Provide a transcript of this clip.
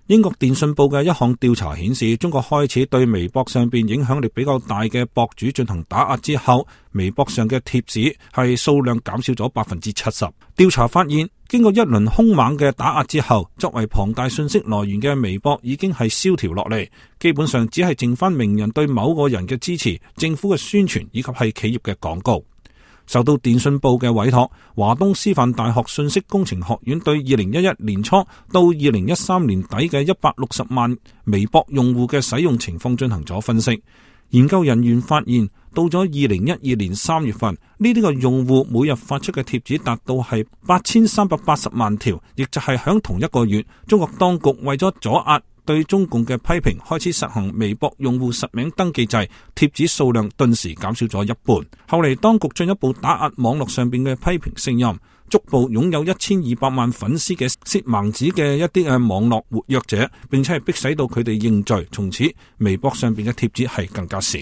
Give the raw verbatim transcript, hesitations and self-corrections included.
英國電訊報嘅一項調查顯示，中國開始對微博上邊影響力比較大嘅博主進行打壓之後，微博上嘅貼紙係數量減少咗百分之七十。調查發現，經過一輪兇猛嘅打壓之後，作為龐大信息來源嘅微博已經係蕭條落嚟，基本上只係剩翻名人對某個人嘅支持、政府嘅宣傳以及係企業嘅廣告。受到電訊報嘅委託，華東師範大學信息工程學院對二零一一年初到二零一三年底嘅一百六十萬微博用戶嘅使用情況進行咗分析。研究人員發現，到咗二零一二年三月份，呢啲個用戶每日發出嘅貼紙達到係八千三百八十萬條，亦就係響同一個月，中國當局為咗阻壓對中共嘅批評，開始實行微博用戶實名登記制，貼紙數量頓時減少咗一半。後嚟當局進一步打壓網絡上邊嘅批評聲音，逐步擁有一千二百萬粉絲嘅薛孟子嘅一啲嘅網絡活躍者，並且係逼使到佢哋認罪，從此微博上邊嘅貼紙係更加少。